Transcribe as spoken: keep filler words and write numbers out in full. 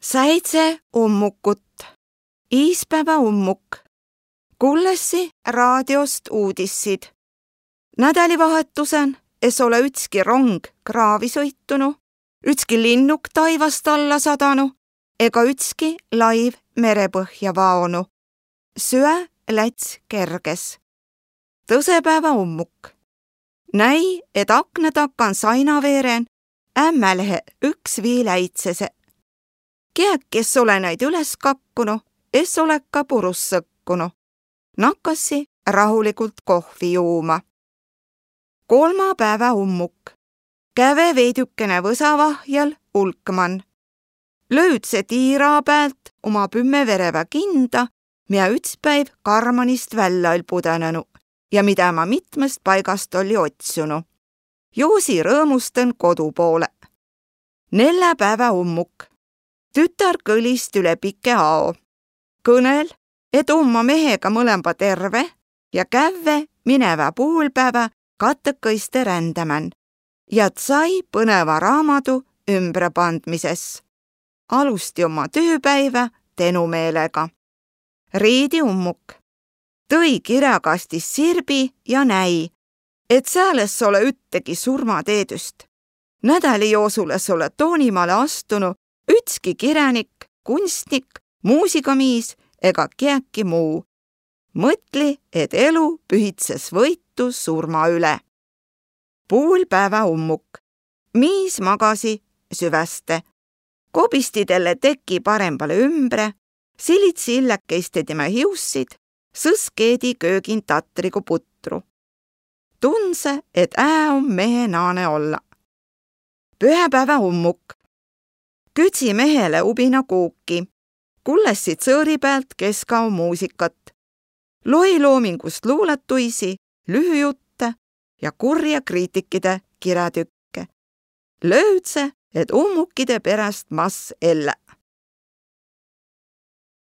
Säidse ummukut. Iispävä ummuk. Kullessi raadiost uudissid. Nädälivahetusen es ole ütski rong kraavi sõitunu, ütski linnuk taivast alla sadanu ega ütski laiv merepõhja vaonu. Süä läts kerges. Tõsepäävä ummuk. Näi, et akna takan sainaveeren ämmälehe üks vii läidsese. Kiäki es ole näid üles kakkunu, es ole ka purus sõkkunu. Nakkassi rahuligult kohvi juuma. Kolmapäävä ummuk. Käve veidükene vösavahjal ulkman. Löüdse tiira päält uma pümme verevä kinda, mia üts päiv karmanist vällä oll pudõnenu ja midä ma mitmast paigast olli otsunu. Joosi rõõmustan kodu poole. Nelläpäävä ummuk. Tütär kõlist üle pike ao. Kõnel, et umma mehega mõlemba terve ja kävve minevä puulpäävä katõkõiste rändämän ja sai põneva raamadu ümbrepandmises. Alusti umma tüüpäivä tenumeelega. Riidi ummuk. Tõi kiräkastist sirbi ja näi, et sääl es ole üttegi surmateedüst. Nädäli joosul es ole Toonimale astunu ütski kiränik, kunstnik, muusigamiis ega kiäki muu. Mõtli, et elu pühitses võitu surma üle. Puulpäävä ummuk. Miis magasi süväste. Kobisti delle teki parembale ümbre, silidsi illäkeiste timä hiussid, sõs keedi köögin tatrigu putru. Tundse, et ää om mehe naane olla. Pühäpäävä ummuk. Küdsi mehele ubina kuuki. Kullessi tsõõri päält keskao muusikat. Loi loomingust luulatuisi, lühüjutte ja kurja kriitikide kirätükke. Löüdse, et ummukide peräst mas ellä.